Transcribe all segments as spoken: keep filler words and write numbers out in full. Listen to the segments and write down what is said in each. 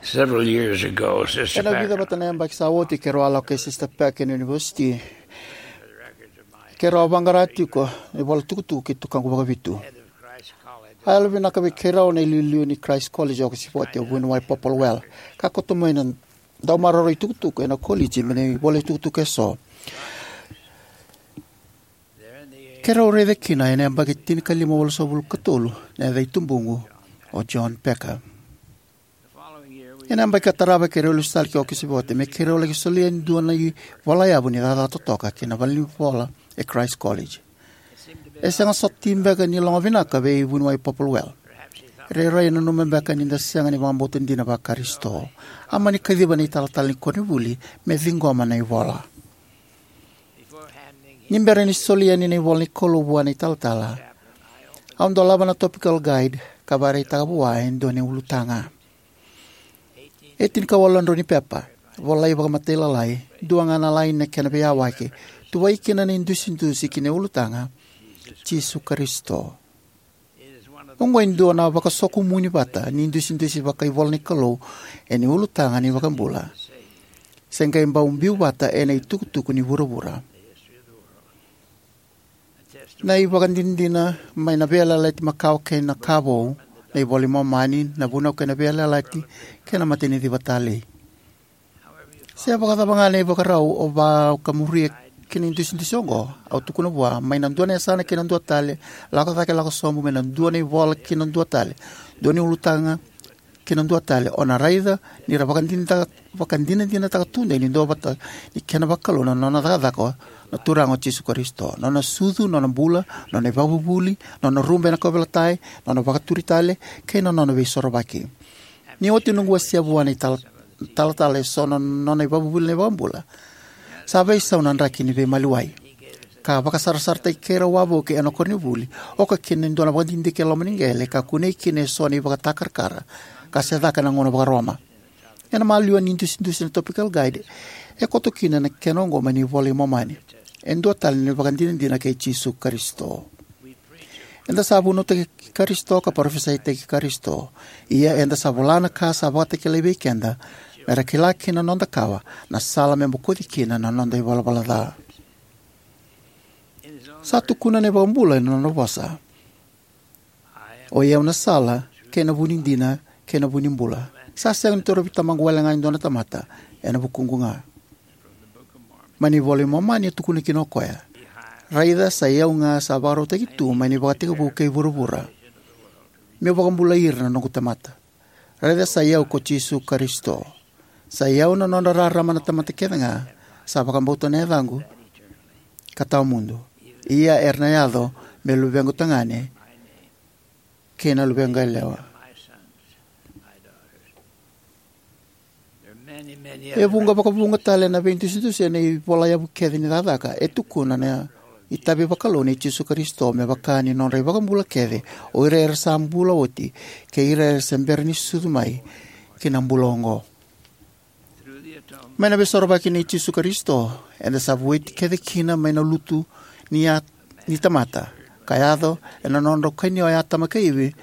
Several years ago, Sister Ena vica Packer vata na yabaki sa oti, keirau a lako kei Sister Packer ena univesiti. Keirau a vaqara tiko na ivola tukutuku kei tukaqu vakavitu. A yalovinaka vei keirau na iliuliu ni Christ College e Okosivote, o Vuniwai Poppelwell, ka kauta mai na dau maroroi tukutuku ena koliji mai na ivola tukutuku eso. Keirau raica kina ena yabaki tinikalima walusagavulu ka tolu na yaca i tubuqu, o John Packer. Ena yabaki ka tarava keirau lesu tale ki Okosivote me keirau laki solia e dua na ivolayavu ni cakacaka totoka ki na valenivola e Christ College. E sega soti beka ni loga vinaka vei Vuniwai Poppelwell. Rairai e nanuma beka ni da sega ni vakabauta dina vaKarisito. A mani kaciva na italatala ni koronivuli me ciqoma na ivola. Ni bera ni soli yani na ivola ni Kalou vua na italatala, au dolava na Topical Guide ka vakaraitaka vua e dua na ulutaga. E tinikawalu na drau ni pepa, volai vakamatailalai, dua ga na laini na kena veiyawaki, tuvai kina na idusidusi ki na ulutaga, Jisu Karisito. Oqo e dua na vakasokomuni vata ni idusidusi vakaivola ni Kalou ena ulutaga ni iVakabula, se qai bau biu vata ena itukutuku ni vuravura. Na ivakadinadina mai na Veiyalayalati Makawa kei na Ka Vou, na iVola i Momani, na Vunau kei na Veiyalayalati, kei na Mataniciva Talei. Se vakacava ga na ivakarau o vakamuria ki na idusidusi oqo, au tukuna vua, mai na dua na yasana ki na dua tale, lako cake lako sobu, mai na dua na ivola ki na dua tale, dua na ulutaga ki na dua tale, o na raica ni ra vakadinadinataka, vakadinadinataka tudei ni duavata ni kena vakalou na nona cakacaka na Turaga o Jisu Karisito, nona sucu, nona bula, nona ivakavuvuli, nona rube ena kauveilatai, nona vakaturi tale, kei na nona veisorovaki. Ni oti noqu wasea vua na itala-, talatala eso na nona ivakavuvuli na iVakabula, sa veisau na draki ni veimaliwai, ka vakasarasarataki keirau wavoki ena koronivuli, oka kina e dua na vakadidike e loma ni qele, ka kunei kina eso na ivakatakarakara, ka se caka ena gauna vakaRoma. Ena maliwa ni idusidusi na Topical Guide, e koto kina na kena oqo mai na iVola i Momani. E dua tale na ivakadinadina kei Jisu Karisito. Eda sa vunautaki Karisito ka parofisaitaki Karisito. Ia eda sa vola na ka sa vakatakilai vei keda, me ra kila kina na noda kawa, na sala me bokoci kina na noda ivalavala ca. Sa tukuna na iVakabula ena nona vosa, "Oi au na sala, kei na vu ni dina, kei na vu ni bula. Sa sega ni torovi Tamaqu wale ga e dua na tamata, ena vukuqu ga." Mai na iVola i Momani e tukuna kina o koya, "Raica, sa i au ga sa vakarautaki tu mai na ivakatekivu kei vuravura, meu vakabulai ira na noqu tamata. Raica, sa i au ko Jisu Karisito. Sa i au na nodra rarama na tamata kece ga sa vakabauta na yacaqu ka tawa mudu. Ia era na yaco me luvequ tagane kei na luvequ yalewa." E vuqa vakavuqa tale na veidusidusi ena ivolayavu kece ni cakacaka e tukuna na itavi vakalou nei Jisu Karisito me vaka ni nodra ivakabula kece, o ira era sa bula oti kei ira era se bera ni sucu mai ki na bula oqo. Mai na veisorovaki nei Jisu Karisito, eda sa vueti kece kina mai na lutu ni a-, ni tamata, ka yaco ena nodrau kania o Atama kei Ivi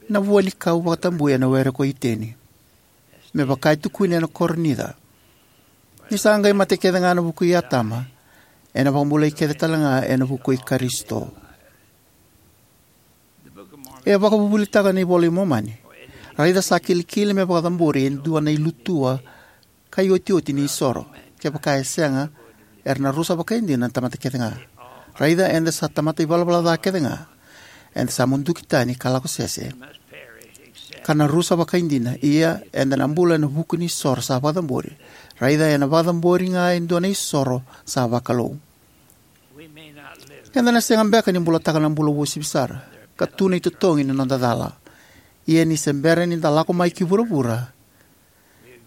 na vua ni kau vakatabui ena were ko Iteni. Me vaka e tukuni ena Korinica, ni sa qai mate kece ga ena vuku i Atama, ena vakabulai kece tale ga ena vuku i Karisito. E vakavuvulitaka na iVola i Momani, "Raica, sa kilikili me vakacabori e dua na ilutua ka iotioti ni isoro. Kevaka e sega, era na rusa vakaidina na tamata kece ga. Raica, eda sa tamata ivalavala ca kece ga. Eda sa muduki tani ka lako sese, ka na rusa vakaidina, ia eda na bula ena vuku ni isoro sa vakacabori. Raica, ena vakacabori ga e dua na isoro sa vakalou." Eda na sega beka ni bulataka na bula uasivi sara, ka tu na itotogi ni noda cala. Ia ni se bera ni da lako mai ki vuravura,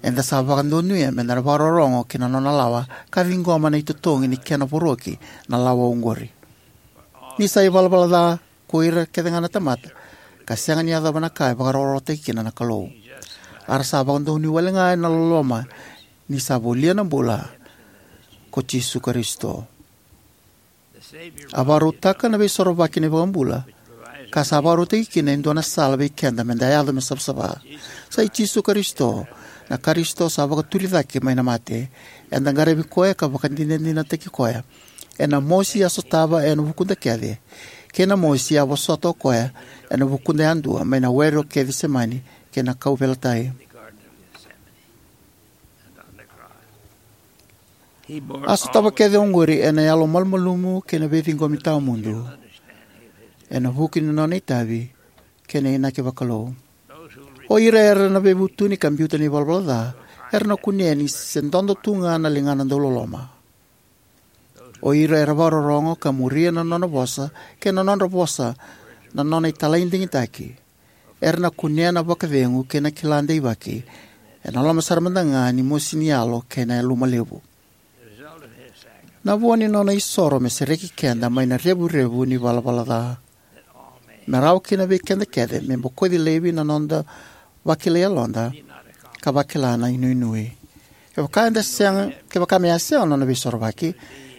eda sa vakadonuya me da na vakarorogo ki na nona lawa, ka ciqoma na itotogi ni kena voroki na lawa oqori. Ni sa ivalavala ca ko ira kece ga na tamata, ka sega ni yacova na ka e vakarokorokotaki kina na Kalou. A ra sa vakadonuya wale ga ena loloma ni sa volia na bula ko Jisu Karisito. A vakarautaka na veisorovaki na iVakabula, ka sa vakarautaki kina e dua na sala vei keda me da yaco me savasava. Sa i Jisu Karisito Na Karisito sa vakaturi cake mai na mate. Eda qaravi koya ka vakadinadinataki koya ena mosi a sotava ena vukuda kece, kei na mosi a vosota o koya ena vukuda yadua mai na were o Kecisemani kei na kauveilatai. A sotava kece oqori ena yalo malumalumu kei na veiciqomi tawamudu, ena vuku ni nona itavi kei na inaki vakalou. O ira era na veivutuni ka biuta na ivalavala ca era na kunea ni se dodo tu ga na ligana dauloloma. O ira era vakarorogo ka muria na nona vosa kei na nodra vosa na nona italai digitaki, era na kunea na vakacegu kei na kila deivaki, ena loma sara mada ga ni mosi ni yalo kei na yaluma levu. Na vua ni nona isoro me sereki keda mai na revurevu ni valavala ca, me rawa kina vei keda kece me bokoci laivi na noda vakilai yaloda ka vakila na inuinui. Kevaka eda sega, kevaka me a sega na nona veisorovaki,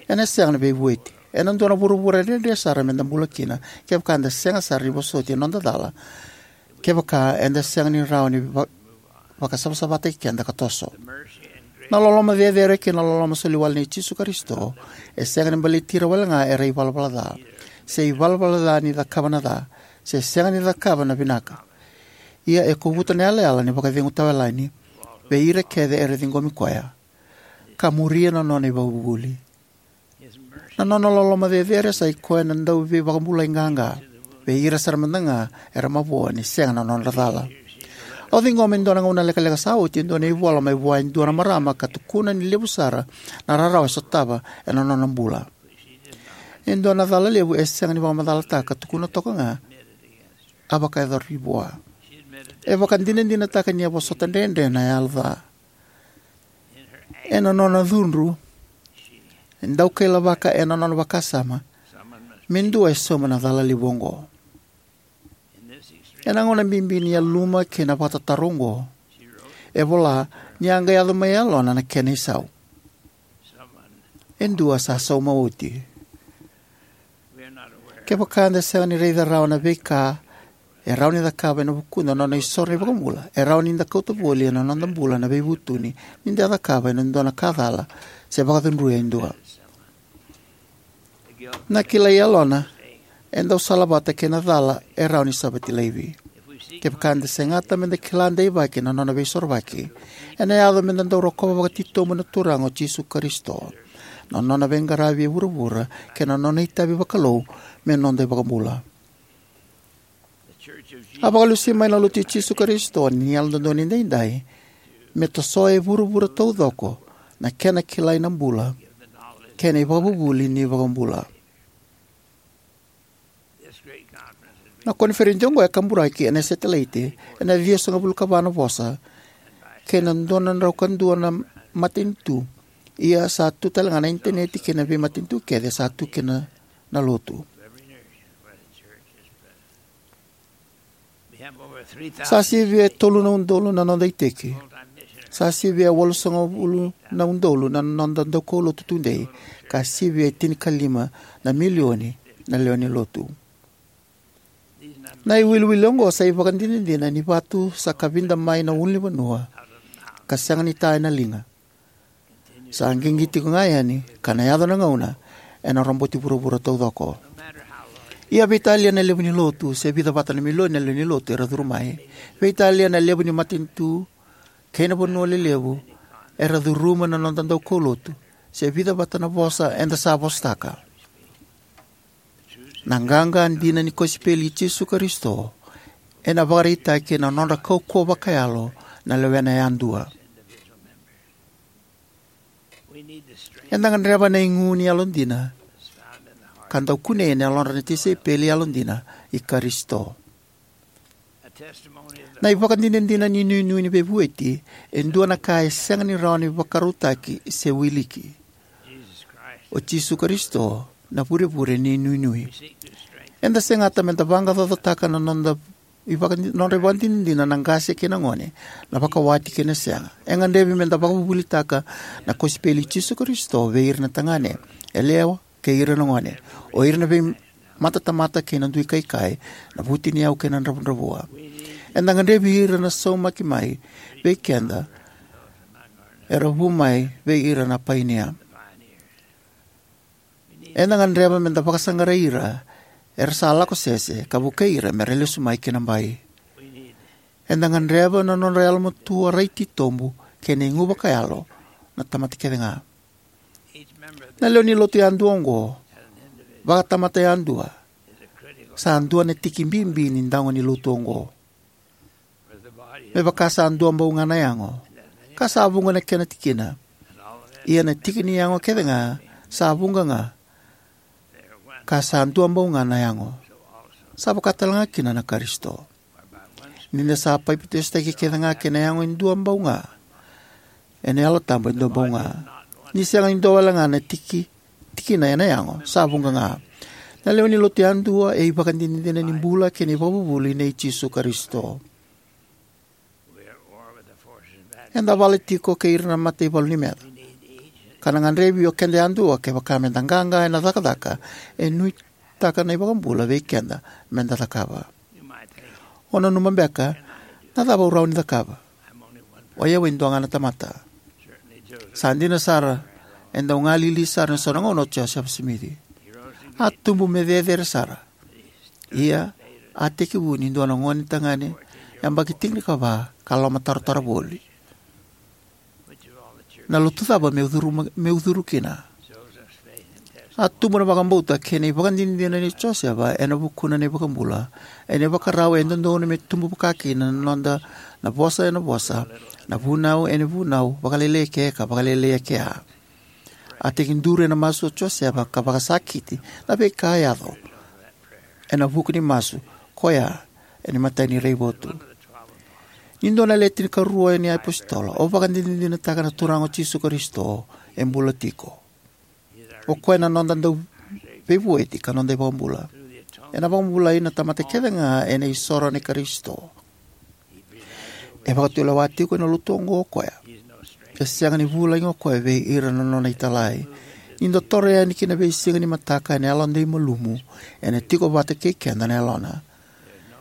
ena sega na veivueti. Ena dua na vuravura dredre sara meda bula kina kevaka eda sega sara ni vosoti na noda cala, kevaka eda sega ni rawa ni va-, vakasavasavataki keda ka toso. Na loloma cecere kei na loloma soli wale nei Jisu Karisito e sega ni baleti ira wale ga era ivalavala ca, se ivalavala ca ni cakava na ca, se sega ni cakava na vinaka. Ia e kovuta na yalayala ni vakacegu tawayalani vei ira kece era ciqomi koya ka muria na nona ivakavuvuli. Na nona loloma cecere sa i koya na dauveivakabulai qaqa vei ira sara mada ga era mavoa ni sega na nodra cala. Au ciqoma e dua na gauna lekaleka sa oti e dua na ivola mai vua e dua na marama ka tukuna ni levu sara na rarawa e sotava ena nona bula. E dua na cala levu e sega ni vakamacalataka, ka tukuna toka ga a vakayacori vua. E vakadinadinataka ni a vosota dredre na yalo ca. Ena nona cudru, e daukailavaka ena nona vakasama me dua e sauma na cala levu oqo. Ena gauna bibi ni yaluma kei na vakatataro oqo, e vola ni a qai yaco mai yalona na kena isau: "E dua sa sauma oti." Kevaka eda sega ni raica rawa na veika e rawa ni cakava ena vukuda na nona isoro na iVakabula, e rawa ni da kauta voli ena noda bula na veivutuni ni da cakava ena dua na ka cala se vakacudruya e dua. Na kilai yalona e dau salavata kei na cala e rawa ni savati laivi. Kevaka eda segata meda kila deivaki na nona veisorovaki, ena yaco meda dau rokova vakatitobu na Turaga o Jisu Karisito, na nona veiqaravi e vuravura kei na nona itavi vakalou me noda iVakabula. A vakalusi mai na Lotu i Jisu Karisito ni Yalododonu Edaidai me tosoya e vuravura taucoko na kena kilai na bula kei na ivakavuvuli ni iVakabula. Na koniferedi oqo e kaburaki ena setelaiti ena ciwasagavulu ka va na vosa kei na dua na drau ka dua na matanitu. Ia sa tu tale ga na initaneti kei na veimatanitu kece sa tu kina na lotu. Sa sivia e tolu na udolu na noda iteki. Sa sivia e walusagavulu na udolu na noda daukaulotu tudei, ka sivia e tinikalima na milioni na lewe ni lotu. Na iwiliwili oqo sa ivakadinadina ni vatu sa kavida mai na ulunivanua ka sega ni ta ena liga. Sa qiqi tiko ga yani, ka na yaco na gauna ena roboti vuravura taucoko. Ia veitalia na levu ni lotu, se vica vata na milioni na lewe ni lotu era curu mai, veitalia na levu ni matanitu kei na vanua lelevu era curuma na noda daukaulotu, se vica vata na vosa eda sa vosataka, na qaqa dina ni kosipeli i Jisu Karisito ena vakaraitaki ena nodra kaukauwa vakayalo na lewena yadua. Eda gadreva na igu ni yalodina ka dau kunei ena yalodra na tisaipeli yalodina i Karisito. Na ivakadinadina ni nuinui ni veivueti e dua na ka e sega ni rawa ni vakarautaki se wiliki. O Jisu Karisito na vurevure ni nuinui. Eda segata meda vaqaqacotaka na noda ivakadi-, nodra ivakadinadina na qase kei na gone, na vakawati kei na sega. E gadrevi meda vakavuvulitaka na kosipeli i Jisu Karisito vei ira na tagane, yalewa kei ira na gone, o ira na veimatatamata kei na duikaikai, na vutuniyau kei na dravudravua. Eda gadrevi ira na saumaki mai vei keda era vu mai vei ira na painia. Eda gadreva me da vakasaqarai ira era sa lako sese ka vukei ira me ra lesu mai ki na bai. Eda gadreva na nodra yalomatua rai titobu kei na igu vakayalo na tamata kece ga. Na lewe ni lotu yadua oqo, vakatamata yadua, sa dua na tiki bibi ni dago ni lotu oqo. Me vaka sa dua bau ga na yago, ka sa vuqa na kena tikina, ia na tiki ni yago kece ga sa vuqa ga, ka sa dua bau ga na yago, sa vaka tale ga kina na Karisito. Ni da sa papitaisotaki kece ga kei na yago e dua bau ga, ena Yalo Tabu e dua bau ga. Ni sega ni dua wale ga na tiki, tikina ena yago, sa vuqa ga. Na lewe ni lotu yadua e ivakadinadina ni bula kei na ivakavuvuli nei Jisu Karisito. Eda vala tiko kei ira na mataivalu ni meca, ka na gadrevi o keda yadua kevaka me da qaqa ena cakacaka e nuitaka na iVakabula vei keda me da cakava. O nanuma beka, na cava au rawa ni cakava? O yau e dua ga na tamata. Sa dina sara, e dau galili sara ena so na gauna o Josefa Simici. A tubu me cecere sara. Ia, a tekivu ni dua na gone tagane, yabaki tinikava, ka lomatarotaro voli. Na lotu cava meu curu, meu curu kina? A tubu na vakabauta kei na ivakadinadina nei Josefa ena vukuna na iVakabula, ena ivakarau e dodonu me tubu vaka kina na noda, na vosa ena vosa, na vunau ena vunau, vakalailai eke ka vakalailai eke. A tekiduru ena masu o Josefa ka vakasakiti na veika a yaco ena vuku ni masu, koya ena imatai ni raivotu. Ni dua na le tinikarua ni apositolo, au vakadinadinataka na Turaga o Jisu Karisito e bula tiko. O koya na noda dauveivueti ka noda iVakabula. Ena vakabulai na tamata kece ga ena isoro nei Karisito. E vakatulewa tiko ena lotu oqo o koya. E sega ni vulagi o koya vei ira na nona italai. Ni da toro yani ki na veisiga ni mataka ena yalodei malumu, ena tiko vata kei keda na Yalona.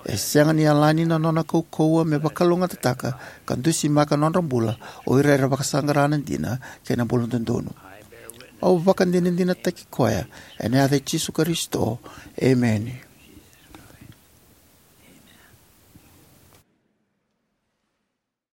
E sega ni yalani na nona kaukauwa me vakalougatataka ka dusimaka na nodra bula o ira era vakasaqara na dina kei na bula dodonu. Au vakadinadinataki koya ena yaca i Jisu Karisito. Emeni.